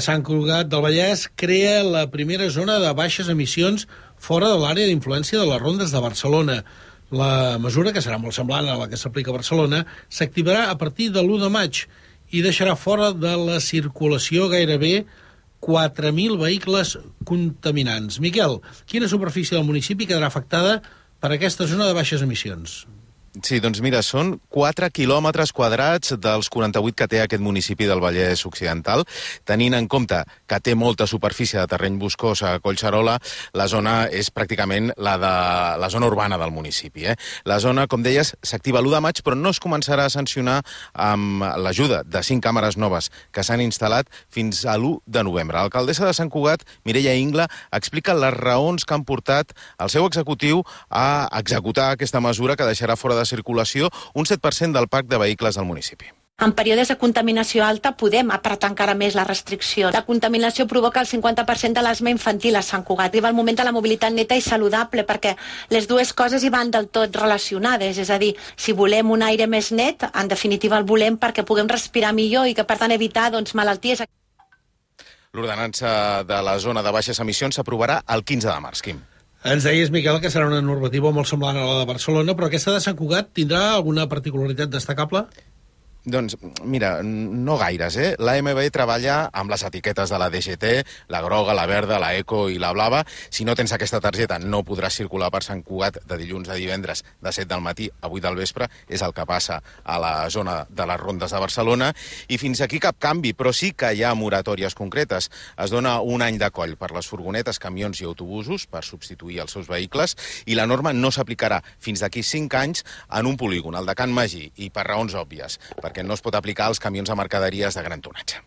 Sant Cugat del Vallès crea la primera zona de baixes emissions fora de l'àrea d'influència de les rondes de Barcelona. La mesura, que serà molt semblant a la que s'aplica a Barcelona, s'activarà a partir de l'1 de maig i deixarà fora de la circulació gairebé 4.000 vehicles contaminants. Miquel, quina superfície del municipi quedarà afectada per aquesta zona de baixes emissions? Sí, doncs mira, són 4 quilòmetres quadrats dels 48 que té aquest municipi del Vallès Occidental. Tenint en compte que té molta superfície de terreny boscós a Collserola, la zona és pràcticament la zona urbana del municipi. La zona, com deies, s'activa l'1 de maig, però no es començarà a sancionar amb l'ajuda de 5 càmeres noves que s'han instal·lat fins a l'1 de novembre. L'alcaldessa de Sant Cugat, Mireia Ingla, explica les raons que han portat el seu executiu a executar aquesta mesura que deixarà fora de circulació un 7% del parc de vehicles del municipi. En períodes de contaminació alta podem apretar encara més la restricció. La contaminació provoca el 50% de l'asma infantil a Sant Cugat. Arriba el moment de la mobilitat neta i saludable perquè les dues coses hi van del tot relacionades. És a dir, si volem un aire més net, en definitiva el volem perquè puguem respirar millor i que per tant evitar malalties. L'ordenança de la zona de baixes emissions s'aprovarà el 15 de març, Quim. Ens deies, Miquel, que serà una normativa molt semblant a la de Barcelona, però aquesta de Sant Cugat tindrà alguna particularitat destacable? Doncs, mira, no gaires, L'AMB treballa amb les etiquetes de la DGT, la groga, la verda, la eco i la blava. Si no tens aquesta targeta no podràs circular per Sant Cugat de dilluns a divendres de 7 del matí a 8 del vespre. És el que passa a la zona de les rondes de Barcelona. I fins aquí cap canvi, però sí que hi ha moratòries concretes. Es dona un any de coll per les furgonetes, camions i autobusos per substituir els seus vehicles i la norma no s'aplicarà fins d'aquí 5 anys en un polígon, el de Can Magí, i per raons òbvies, perquè no es pot aplicar als camions de mercaderies de gran tonatge.